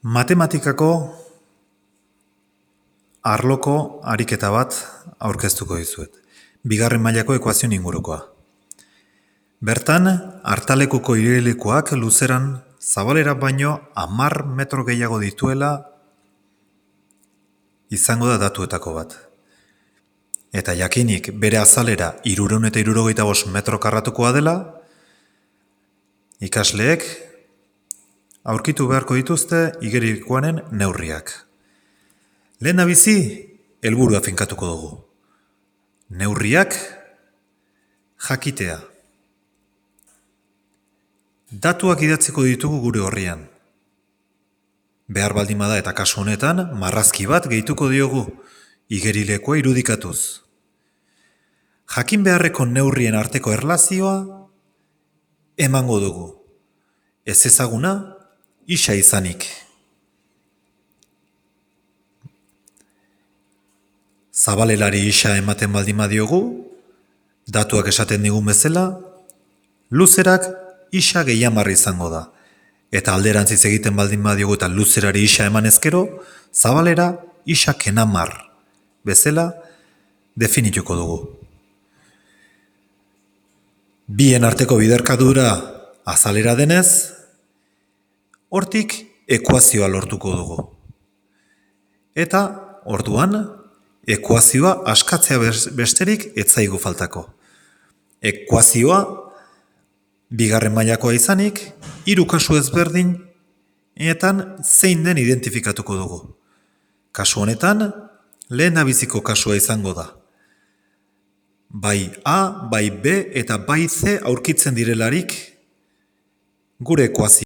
Matematikako arloko ariketa bat aurkeztuko dizuet. Bigarren mailako ekuazioen ingurukoa. Bertan, hartalekuko igerilekuak luzeran zabalera baino 10 metro gehiago dituela izango da datuetako bat. Eta jakinik bere azalera 375 metro karratukoa dela, ikasleek aurkitu beharko dituzte igerilekuaren neurriak. Lehendabizi, helburua finkatuko dugu. Neurriak jakitea. Datuak idatziko ditugu gure horrian. Behar baldin bada eta kasu honetan, marrazki bat gehituko diogu igerilekoa irudikatuz. Jakin beharreko neurrien arteko erlazioa emango dugu. Ez ezaguna, isa izanik. Zabalelari isa ematen baldin badiogu, datuak esaten digun bezala, luzerak isa gehiamarri izango da. Eta alderantziz egiten baldin badiogu eta luzerari isa eman ezkero, zabalera isa kenamar bezala definituko dugu. Bien arteko biderkadura azalera denez, hortik ekuazioa lortuko dugu. Eta orduan, ekuazioa askatzea besterik ez zaigu faltako. Ekuazioa bigarren mailakoa izanik, 3 kasu ezberdinetan zein den identifikatuko dugu. Kasu honetan, lehendabiziko kasua izango da. Bai A, bai B eta bai C aurkitzen direlarik gure ekuazioa.